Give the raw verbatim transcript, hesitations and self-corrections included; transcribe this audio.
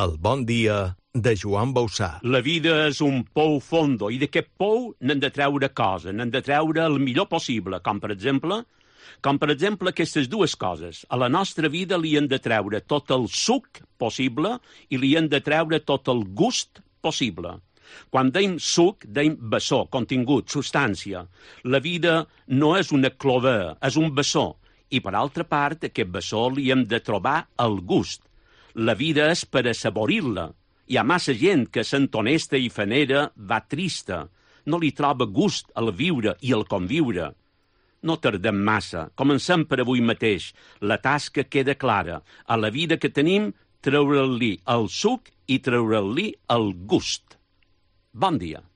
El bon dia de Joan Bauçà. La vida és un pou fondo i d'aquest pou n'hem de treure coses, n'hem de treure el millor possible, com per exemple, com per exemple aquestes dues coses. A la nostra vida li hem de treure tot el suc possible i li hem de treure tot el gust possible. Quan deim suc, deim bessó, contingut, substància. La vida no és una clover, és un bessó. I per altra part, aquest bessó li hem de trobar el gust. La vida és per assaborir-la. Hi ha massa gent que sent honesta i fanera va trista. No li troba gust al viure i al conviure. No tardem massa. Comencem per avui mateix. La tasca queda clara. A la vida que tenim, treure-li el suc i treure-li el gust. Bon dia.